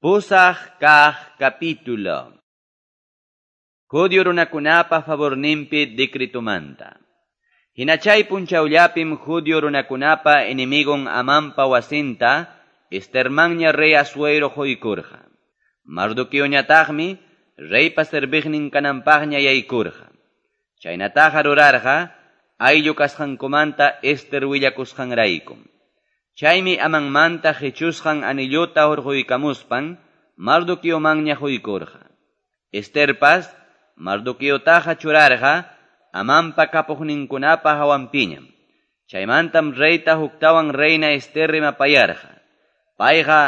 Pusaq kaq capítulo. Judio runakunapa favorninpi decretumanta. Hinachay punchawllapim judio runakunapa enemigon Amanpa wasinta Estermanña rey Asuero quykurqa. Mardoqueoñataqmi reypa serviqnin kananpaqña yaykurqa. Chaynataqa rurarqa ayllu kasqankumanta Ester willakusqanraykum. Chaymi Amanmanta qichusqan anilluta hurquykamuspan Mardoqueomanña quykurqa. Esterpas Mardoqueotaqa churarqa Amanpa kapuqninkunapa hawanpiñam. Chaymantam reyta huktawan reina Ester rimapayarqa. Payqa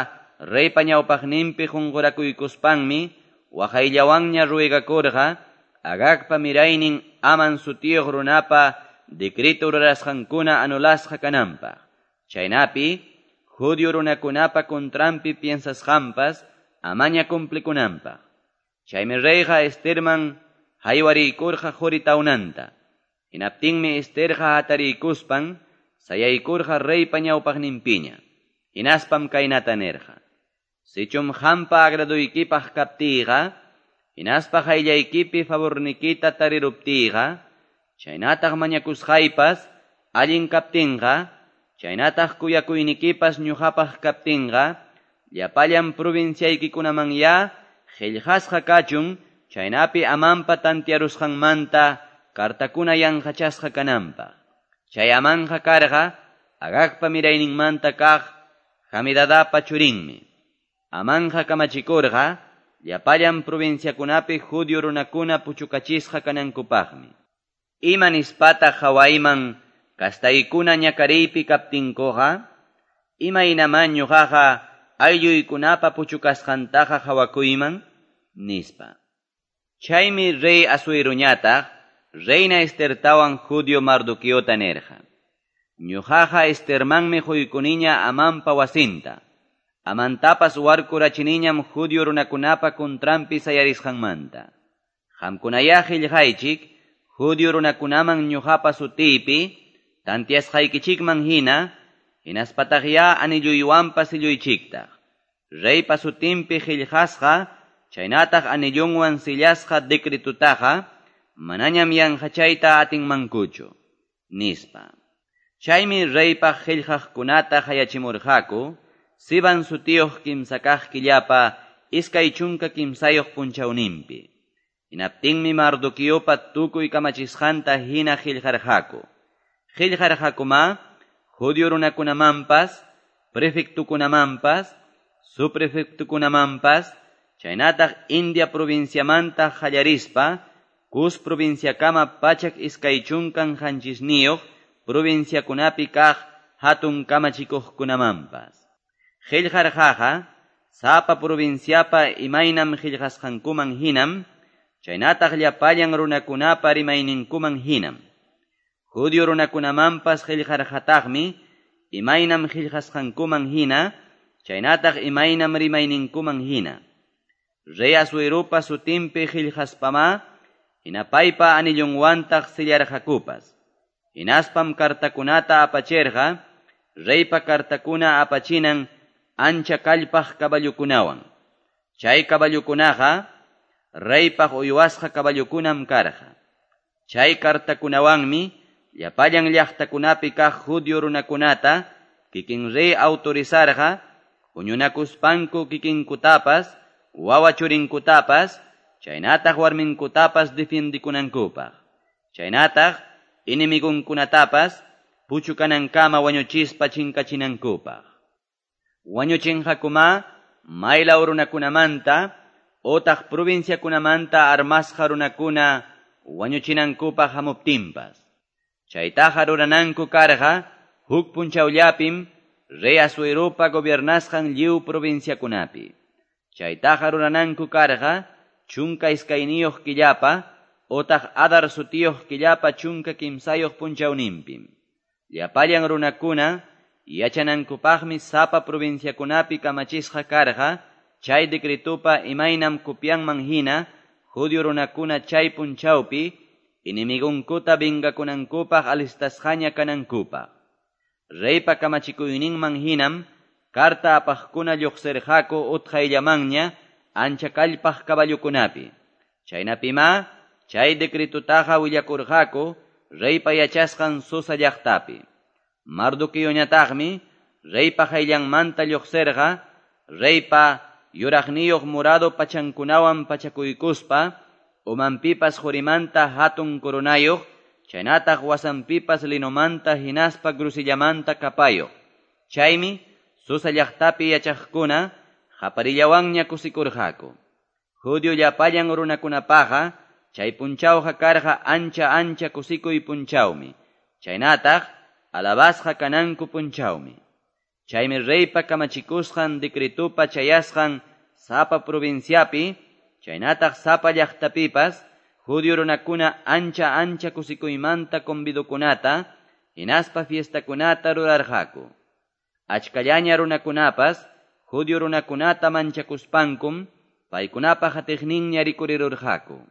reypa ñawpaqninpi qunqurakuykuspanmi waqayllawanña ruegakurqa Agagpa miraynin Aman sutiyuq runapa decreto rurasqankuna anulasqa kananpaq. Chaynapi judio runakunapa contranpi piensasqanpas amaña cumplikunanpaq. Chaymi reyqa Esterman haywariykurqa quri tawnanta. Hinaptinmi Esterqa hatariykuspan sayaykurqa reypa ñawpaqninpiña. Hinaspam kaynata nirqa: Sichum qampa agraduykipaq kaptiyqa, hinaspa qayllaykipi favornikita tariruptiyqa, chaynataq mañakusqaypas allin kaptinqa, chaynataq kuyakuynikipas ñuqapaq kaptinqa, llapallan provinciaykikunamanya qillqasqa kachun, chaynapi Amanpa tantiarusqanmanta kartakuna yanqachasqa kananpaq. Chay Amanqa karqa Agagpa mirayninmanta kaq Hamidadapa churinmi. Amanqa kamachikurqa llapallan provinciakunapi judio runakuna puchukachisqa kanankupaqmi. Ima nispataq hawayman kastaykuna ñakariypi kaptinkuqa, imaynaman ñuqaqa aylluykunapa puchukasqantaqa hawakuyman, nispa. Chaymi rey Asueruñataq reina Estertawan judio Mardoqueota nirqa: Ñuqaqa Estermanmi quykuniña Amanpa wasinta. Amantapas warkurachiniñam judio runakunapa contranpi sayarisqanmanta. Qamkunayá qillqaychik judio runakunaman ñuqapa sutiypi tantiasqaykichikman hina, hinaspataqyá anilluywanpas silluychiktaq. Reypa sutinpi qillqasqa, chaynataq anillunwan sillasqa decretutaqa, manañam yanqachayta atinmankuchu, nispa. Chaymi reypaq qillqaqkunata hayachimurqaku, Sivan sutiyuq kimsa kaq killapa 23 punchawninpi. Hinaptinmi Mardoqueopa tukuy kamachisqanta hina qillqarqaku. Qillqarqakuma judio runakunamanpas, prefectukunamanpas, subprefectukunamanpas, chaynataq India provinciamanta qallarispa, Cus provinciakama 127 provinciakunapi kaq hatun kamachikuqkunamanpas. Qillqarqaqa sapa provinciapa imaynam qillqasqankuman hinam, chaynataq llapallan runakunapa rimayninkuman hinam. Judio runakunamanpas qillqarqataqmi imaynam qillqasqankuman hina, chaynataq imaynam rimayninkuman hina. Rey Asuerupa sutinpi qillqaspama, hinapaypa anillunwantaq sillarqakupas. Hinaspam kartakunata apachirqa, reypa kartakuna apachinan ancha kallpaq caballukunawan. Chay caballukunaqa reypaq uywasqa caballukunam karqa. Chay kartakunawanmi llapallan llaqtakunapi kaq judio runakunata kikin rey autorizarqa huñunakuspanku kikinkutapas, wawa churinkutapas, chaynataq warminkutapas defiendikunankupaq. Chaynataq enemigunkunatapas puchukanankama wañuchispa chinkachinankupaq. Wañuchinqakuma maylaw runakunamanta otaq provinciakunamanta armasqa runakuna wañuchinankupaq hamuptinpas. Chaytaqa rurananku karqa huk punchawllapim rey Asuerupa gobiernasqan lliw provinciakunapi. Chaytaqa rurananku karqa 12 killapa otaq Adar sutiyuq killapa 13 punchawninpim. Llapallan runakuna yachanankupaqmi sapa provinciakunapi kamachisqa karqa chay decretupa imaynam copianman hina judio runakuna chay punchawpi enemigunkuta vengakunankupaq alistasqaña kanankupaq. Reypa kamachikuyninman hinam carta apaqkuna lluqsirqaku utqayllamanña ancha kallpaq caballokunapi. Chaynapimá chay decretotaqa willakurqaku reypa yachasqan Susa llaqtapi. Mardoqueoñataqmi reypa qayllanmanta lluqsirqa reypa yuraqniyuq morado pachankunawan pachakuykuspa, umanpipas qurimanta hatun coronayuq, chaynataq wasanpipas linomanta hinaspa grusillamanta kapayuq. Chaymi Susa llaqtapi yachaqkuna qaparillawanña kusikurqaku. Judio llapallan runakunapaqa chay punchawqa karqa ancha ancha kusikuy punchawmi, chaynataq alabasqa kananku punchawmi. Chaymi reypa kamachikusqan decretopa chayasqan sapa provinciapi, chaynataq sapa llaqtapipas, judio runakuna ancha ancha kusikuymanta convidokunata, hinaspa fiestakunata rurarqaku. Achkallaña runakunapas, judio runakunata manchakuspankum, paykunapa hatiqninña rikurirurqaku.